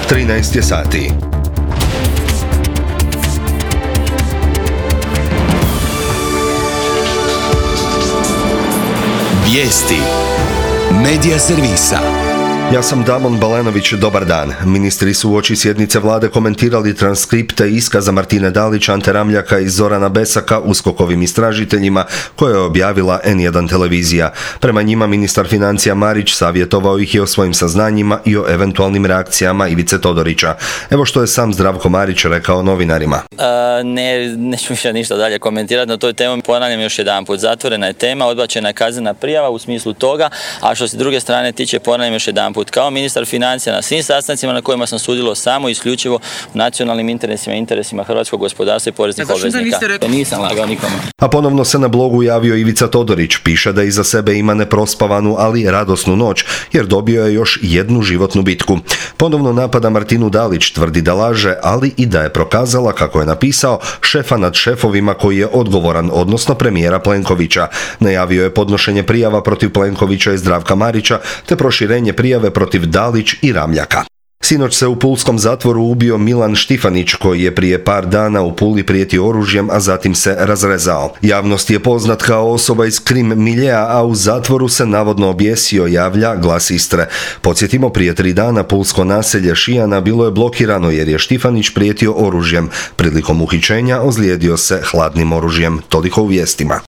13 je sati. Vijesti Medija servisa. Ja sam Damon Balenović, dobar dan. Ministri su uoči sjednice vlade komentirali transkripte iskaza Martine Dalić, Ante Ramljaka i Zorana Besaka USKOK-ovim istražiteljima koje je objavila N1 televizija. Prema njima ministar financija Marić savjetovao ih je o svojim saznanjima i o eventualnim reakcijama Ivice Todorića. Evo što je sam Zdravko Marić rekao novinarima. Neću više ništa dalje komentirati na toj temi. Ponavljam još jedanput, zatvorena je tema, odbačena je kaznena prijava u smislu toga, a što se druge strane tiče, ponavljam još jedanput, kao ministar financija na svim sastancima na kojima sam sudjelovao samo isključivo u nacionalnim interesima hrvatskog gospodarstva i poreznih obveznika. Nisam lagao nikome. A ponovno se na blogu javio Ivica Todorić. Piše da iza sebe ima neprospavanu, ali radosnu noć, jer dobio je još jednu životnu bitku. Ponovno napada Martinu Dalić, tvrdi da laže, ali i da je prokazala, kako je napisao, šefa nad šefovima koji je odgovoran, odnosno premijera Plenkovića. Najavio je podnošenje prijava protiv Plenkovića i Zdravka Marića, te proširenje prijave protiv Dalić i Ramljaka. Sinoć se u pulskom zatvoru ubio Milan Štifanić, koji je prije par dana u Puli prijetio oružjem, a zatim se razrezao. Javnost je poznat kao osoba iz krim miljea, a u zatvoru se navodno objesio, javlja Glas Istre. Podsjetimo, prije 3 dana pulsko naselje Šijana bilo je blokirano jer je Štifanić prijetio oružjem. Prilikom uhićenja ozlijedio se hladnim oružjem. Toliko u vijestima.